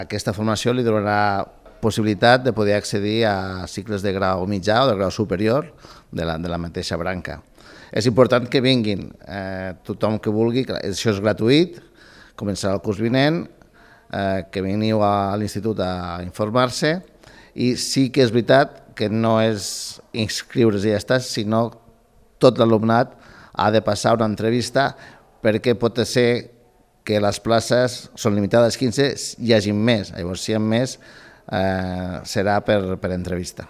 Aquesta formació li donarà possibilitat de poder accedir a cicles de grau mitjà o de grau superior de la mateixa branca. És important que vinguin tothom que vulgui, això és gratuït, començarà el curs vinent, que veniu a l'institut a informar-se, i sí que és veritat que no és inscriure's i ja està, sinó tot l'alumnat ha de passar una entrevista perquè pot ser que les places són limitades 15, hi hagi més. Llavors, si hi ha més, serà per entrevista.